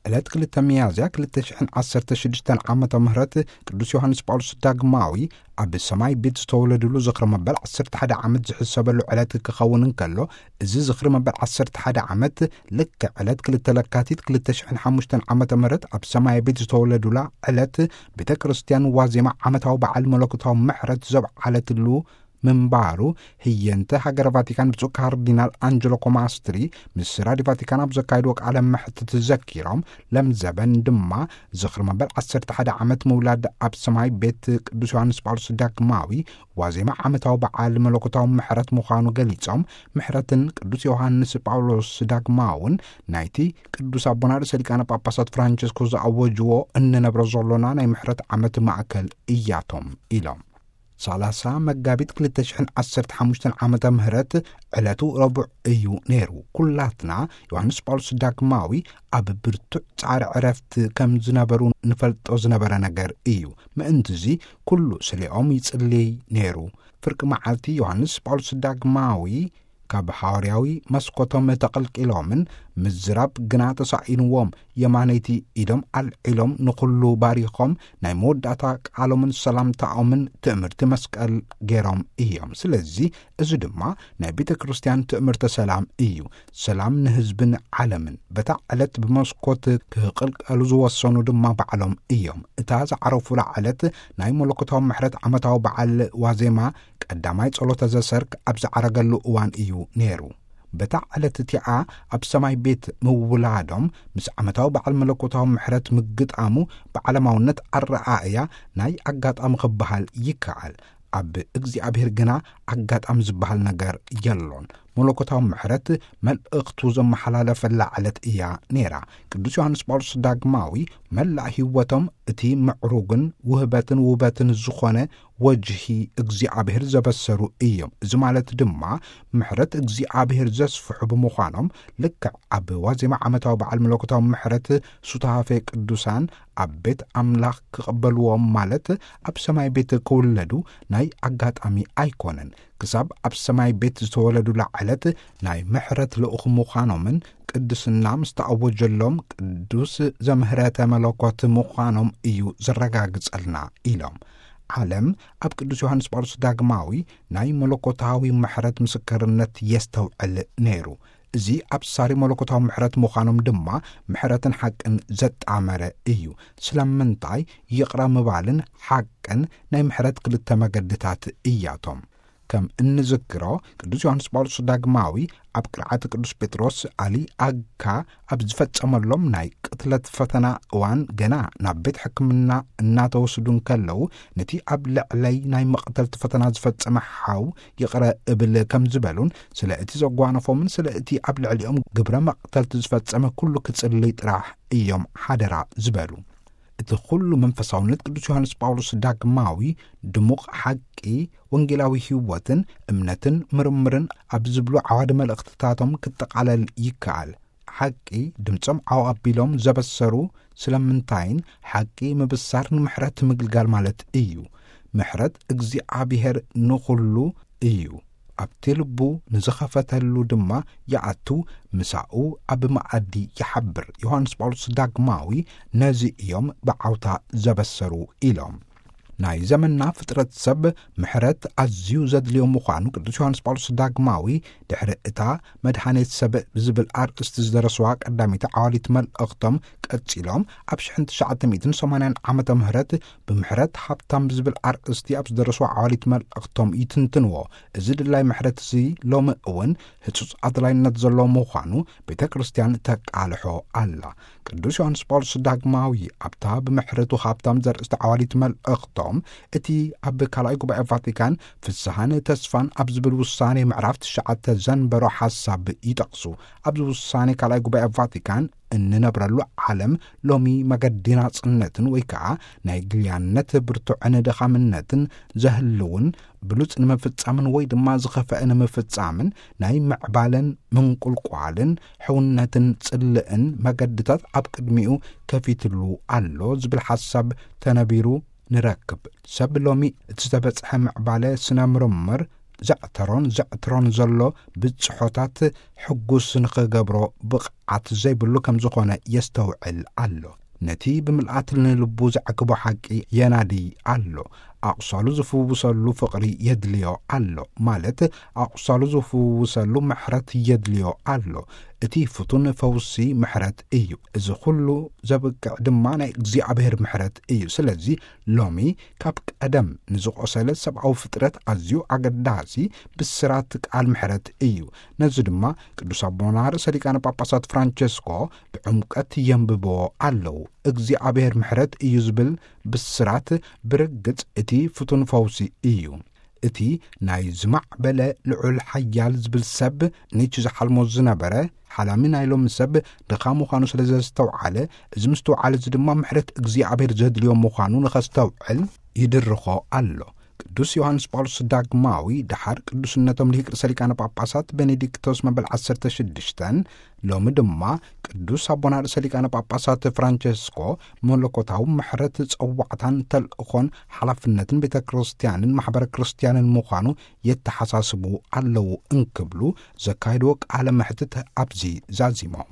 ዕለት ክልተ ሚያዝያ ክልተ ሽሕን ዓሰርተ ሽዱሽተን ዓመተ ምህረት ቅዱስ ዮሃንስ ጳውሎስ ዳግማዊ ኣብ ሰማይ ቤት ዝተወለድሉ ዝኽሪ መበል ዓሰርተ ሓደ ዓመት ዝሕሰበሉ ዕለት ክኸውን እንከሎ፣ እዚ ዝኽሪ መበል ዓሰርተ ሓደ ዓመት ልክዕ ዕለት ክልተ ለካቲት ክልተ ሽሕን ሓሙሽተን ዓመተ ምህረት ኣብ ሰማይ ቤት ዝተወለዱላ ዕለት ቤተ ክርስቲያን ዋዜማ ዓመታዊ በዓል መለኮታዊ ምሕረት ዘብዓለትሉ ምንባሩ ህየንተ ሃገረ ቫቲካን ብፁዕ ካርዲናል ኣንጀሎ ኮማስትሪ ምስ ራድዮ ቫቲካን ኣብ ዘካየድዎ ቃለ መሕትት ዘኪሮም፣ ለምዘበን ድማ ዝኽሪ መበል ዓሰርተ ሓደ ዓመት ምውላድ ኣብ ሰማይ ቤት ቅዱስ ዮሃንስ ጳውሎስ ዳግማዊ ዋዜማ ዓመታዊ በዓል መለኮታዊ ምሕረት ምዃኑ ገሊጾም፣ ምሕረትን ቅዱስ ዮሃንስ ጳውሎስ ዳግማውን ናይቲ ቅዱስ ኣቦና ርእሰ ሊቃነ ጳጳሳት ፍራንቸስኮ ዝኣወጅዎ እንነብሮ ዘሎና ናይ ምሕረት ዓመት ማእከል እያቶም ኢሎም። ሰላሳ መጋቢት ክልተ ሽሕን ዓሰርተ ሓሙሽተን ዓመተ ምህረት ዕለቱ ረቡዕ እዩ ነይሩ። ኩላትና ዮሃንስ ጳውሎስ ዳግማዊ ኣብ ብርቱዕ ጻዕሪ ዕረፍቲ ከም ዝነበሩ ንፈልጦ ዝነበረ ነገር እዩ። ምእንትዚ ኩሉ ስሌኦም ይጽልይ ነይሩ። ፍርቂ መዓልቲ ዮሃንስ ጳውሎስ ዳግማዊ ካብ ሃዋርያዊ መስኮቶም ተቐልቂሎምን ምዝራብ ግና ተሳኢንዎም፣ የማነይቲ ኢዶም ኣልዒሎም ንኹሉ ባሪኾም ናይ መወዳእታ ቃሎምን ሰላምታኦምን ትእምርቲ መስቀል ገይሮም እዮም። ስለዚ እዚ ድማ ናይ ቤተ ክርስቲያን ትእምርተ ሰላም እዩ። ሰላም ንህዝብን ዓለምን። በታ ዕለት ብመስኮት ክቕልቀሉ ዝወሰኑ ድማ ባዕሎም እዮም። እታ ዝዓረፉላ ዕለት ናይ መለኮታዊ ምሕረት ዓመታዊ በዓል ዋዜማ ቀዳማይ ጸሎተ ዘሰርክ ኣብ ዝዓረገሉ እዋን እዩ ነይሩ። በታ ዕለት እቲኣ ኣብ ሰማይ ቤት ምውላዶም ምስ ዓመታዊ በዓል መለኮታዊ ምሕረት ምግጣሙ ብዓለማውነት ኣረኣእያ ናይ ኣጋጣሚ ክበሃል ይከኣል። ኣብ እግዚኣብሔር ግና ኣጋጣሚ ዝበሃል ነገር የሎን። መለኮታዊ ምሕረት መልእኽቱ ዘመሓላለፈላ ዕለት እያ ነይራ። ቅዱስ ዮሃንስ ጳውሎስ ዳግማዊ መላእ ህይወቶም እቲ ምዕሩግን ውህበትን ውበትን ዝኾነ ወጅሂ እግዚኣብሔር ዘበሰሩ እዮም። እዚ ማለት ድማ ምሕረት እግዚኣብሔር ዘስፍሑ ብምዃኖም፣ ልክዕ ኣብ ዋዜማ ዓመታዊ በዓል መለኮታዊ ምሕረት ሱታፌ ቅዱሳን ኣብ ቤት ኣምላኽ ክቕበልዎም ማለት ኣብ ሰማይ ቤት ክውለዱ ናይ ኣጋጣሚ ኣይኮነን። ክሳብ ኣብ ሰማይ ቤት ዝተወለዱላ ዕለት ናይ ምሕረት ልኡኽ ምዃኖምን ቅድስና ምስ ተኣወጀሎም ቅዱስ ዘምህረተ መለኮት ምዃኖም እዩ ዘረጋግጸልና ኢሎም። ዓለም ኣብ ቅዱስ ዮሃንስ ጳውሎስ ዳግማዊ ናይ መለኮታዊ ምሕረት ምስክርነት የስተውዕል ነይሩ። እዚ ኣብሳሪ መለኮታዊ ምሕረት ምዃኖም ድማ ምሕረትን ሓቅን ዘጣመረ እዩ። ስለምንታይ ይቕረ ምባልን ሓቅን ናይ ምሕረት ክልተ መገድታት እያቶም። ከም እንዝክሮ ቅዱስ ዮሃንስ ጳውሎስ ዳግማዊ ኣብ ቅርዓት ቅዱስ ጴጥሮስ ኣሊ ኣካ ኣብ ዝፈጸመሎም ናይ ቅትለት ፈተና እዋን ገና ናብ ቤት ሕክምና እናተወስዱ እንከለዉ ነቲ ኣብ ልዕለይ ናይ መቕተልቲ ፈተና ዝፈጸመ ሓው ይቕረ እብል ከም ዝበሉን ስለ እቲ ዘጓነፎምን ስለ እቲ ኣብ ልዕሊኦም ግብረ መቕተልቲ ዝፈጸመ ኩሉ ክጽልይ ጥራሕ እዮም ሓደራ ዝበሉ። እቲ ኩሉ መንፈሳውነት ቅዱስ ዮሃንስ ጳውሎስ ዳግማዊ ድሙቕ ሓቂ ወንጌላዊ ህይወትን እምነትን ምርምርን ኣብ ዝብሉ ዓዋዲ መልእኽትታቶም ክጠቓለል ይከኣል። ሓቂ ድምጾም ዓው ኣቢሎም ዘበሰሩ ስለምንታይን ሓቂ ምብሳር ንምሕረት ምግልጋል ማለት እዩ። ምሕረት እግዚኣብሔር ንኹሉ እዩ። ኣብቲ ልቡ ንዝኸፈተሉ ድማ ይኣቱ፣ ምሳኡ ኣብ መኣዲ ይሓብር። ዮሃንስ ጳውሎስ ዳግማዊ ነዚ እዮም ብዓውታ ዘበሰሩ ኢሎም። ናይ ዘመንና ፍጥረት ሰብ ምሕረት ኣዝዩ ዘድልዮ ምዃኑ ቅዱስ ዮሃንስ ጳውሎስ ዳግማዊ ድሕሪ እታ መድኃኒት ሰብ ብዝብል ኣርእስቲ ዝደረስዋ ቀዳሚት ዓዋሊት መልእኽቶም ቀጺሎም ኣብ ሽሕን ትሽዓተ ሚእትን ሰማንያን ዓመተ ምህረት ብምሕረት ሃብታም ብዝብል ኣርእስቲ ኣብ ዝደረስዋ ዓዋሊት መልእኽቶም ይትንትንዎ። እዚ ድላይ ምሕረት እዚ ሎሚ እውን ህጹጽ ኣድላይነት ዘለዎ ምዃኑ ቤተ ክርስቲያን ተቃልሖ ኣላ። ቅዱስ ዮሃንስ ጳውሎስ ዳግማዊ ኣብታ ብምሕረቱ ሃብታም ዘርእስቲ ዓዋሊት መልእኽቶም እቲ ኣብ ካልኣይ ጉባኤ ቫቲካን ፍስሐን ተስፋን ኣብ ዝብል ውሳኔ ምዕራፍ ትሽዓተ ዘንበሮ ሓሳብ ይጠቕሱ። ኣብዚ ውሳኔ ካልኣይ ጉባኤ ቫቲካን እንነብረሉ ዓለም ሎሚ መገዲ ናጽነትን ወይ ከዓ ናይ ግልያነት ብርቱዕን ድኻምነትን ዘህልውን ብሉጽ ንምፍጻምን ወይ ድማ ዝኸፈአ ንምፍጻምን ናይ ምዕባለን ምንቁልቋልን ሕውነትን ጽልእን መገድታት ኣብ ቅድሚኡ ከፊትሉ ኣሎ ዝብል ሓሳብ ተነቢሩ ንረክብ። ሰብ ሎሚ እቲ ዝተበጽሐ ምዕባለ ስነ ምርምር ዘዕተሮን ዘዕትሮን ዘሎ ብጽሖታት ሕጉስ ንኽገብሮ ብቕዓት ዘይብሉ ከም ዝኾነ የስተውዕል ኣሎ። ነቲ ብምልኣት ንልቡ ዘዕግቦ ሓቂ የናዲ ኣሎ። ኣቑሳሉ ዝፍውሰሉ ፍቕሪ የድልዮ ኣሎ፣ ማለት ኣቑሳሉ ዝፍውሰሉ ምሕረት የድልዮ ኣሎ። እቲ ፍቱን ፈውሲ ምሕረት እዩ። እዚ ኩሉ ዘብቅዕ ድማ ናይ እግዚኣብሔር ምሕረት እዩ። ስለዚ ሎሚ ካብ ቀደም ንዝቖሰለ ሰብኣዊ ፍጥረት ኣዝዩ ኣገዳሲ ብስራት ቃል ምሕረት እዩ። ነዚ ድማ ቅዱስ ኣቦና ርእሰ ሊቃነ ጳጳሳት ፍራንቸስኮ ብዕምቀት የንብብዎ ኣለዉ። እግዚኣብሔር ምሕረት እዩ ዝብል ብስራት ብርግጽ እቲ ፍቱን ፈውሲ እዩ። እቲ ናይ ዝማዕበለ ልዑል ሓያል ዝብል ሰብ ኒች ዝሓልሞ ዝነበረ ሓላሚ ናይ ሎሚ ሰብ ድኻ ምዃኑ ስለ ዘስተውዓለ፣ እዚ ምስትውዓል እዚ ድማ ምሕረት እግዚኣብሔር ዘድልዮ ምዃኑ ንኸስተውዕል ይድርኾ ኣሎ። ቅዱስ ዮሃንስ ጳውሎስ ዳግማዊ፣ ድሓር ቅዱስነቶም ልሂቅ ርእሰ ሊቃነ ጳጳሳት ቤኔዲክቶስ መበል ዓሰርተ ሽዱሽተን፣ ሎሚ ድማ ቅዱስ ኣቦና ርእሰ ሊቃነ ጳጳሳት ፍራንቸስኮ መለኮታዊ ምሕረት ጸዋዕታን ተልእኾን ሓላፍነትን ቤተ ክርስቲያንን ማሕበረ ክርስቲያንን ምዃኑ የተሓሳስቡ ኣለዉ እንክብሉ ዘካየድዎ ቃለ መሕትት ኣብዚ ዛዚሞም።